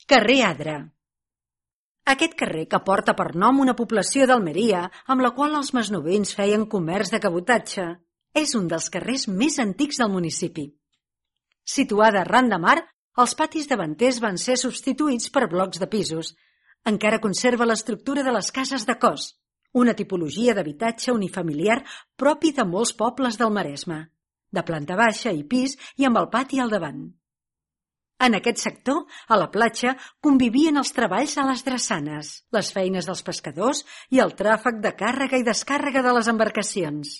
Carrer Adra. Aquest carrer, que porta per nom una població d'Almeria, amb la qual els masnovins feien comerç de cabotatge, és un dels carrers més antics del municipi. Situada arran de mar, els patis davanters van ser substituïts per blocs de pisos. Encara conserva l'estructura de les cases de cos, una tipologia d'habitatge unifamiliar propi de molts pobles del Maresme, de planta baixa i pis i amb el pati al davant. En aquest sector, a la platja, convivien els treballs a les drassanes, les feines dels pescadors i el tràfic de càrrega i descàrrega de les embarcacions.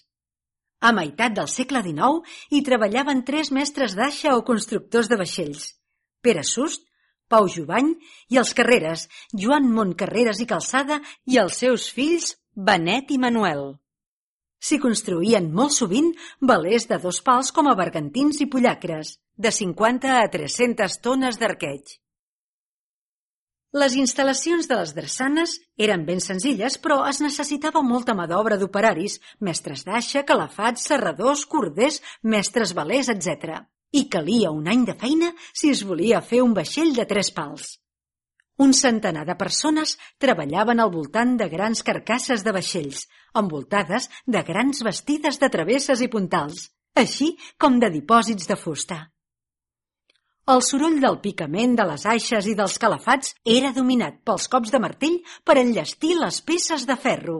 A meitat del segle XIX hi treballaven 3 mestres d'aixa o constructors de vaixells: Pere Sust, Pau Jubany i els Carreres, Joan Montcarreres i Calçada, i els seus fills Benet i Manuel. S'hi construïen molt sovint velers de 2 pals com a bergantins i pollacres, de 50 a 300 tones d'arqueig. Les instal·lacions de les drassanes eren ben senzilles, però es necessitava molta mà d'obra d'operaris, mestres d'aixa, calafats, serradors, corders, mestres velers, etc. I calia un any de feina si es volia fer un vaixell de 3 pals. Un centenar de persones treballaven al voltant de grans carcasses de vaixells, envoltades de grans bastides de travesses i puntals, així com de dipòsits de fusta. El soroll del picament de les aixes i dels calafats era dominat pels cops de martell per enllestir les peces de ferro.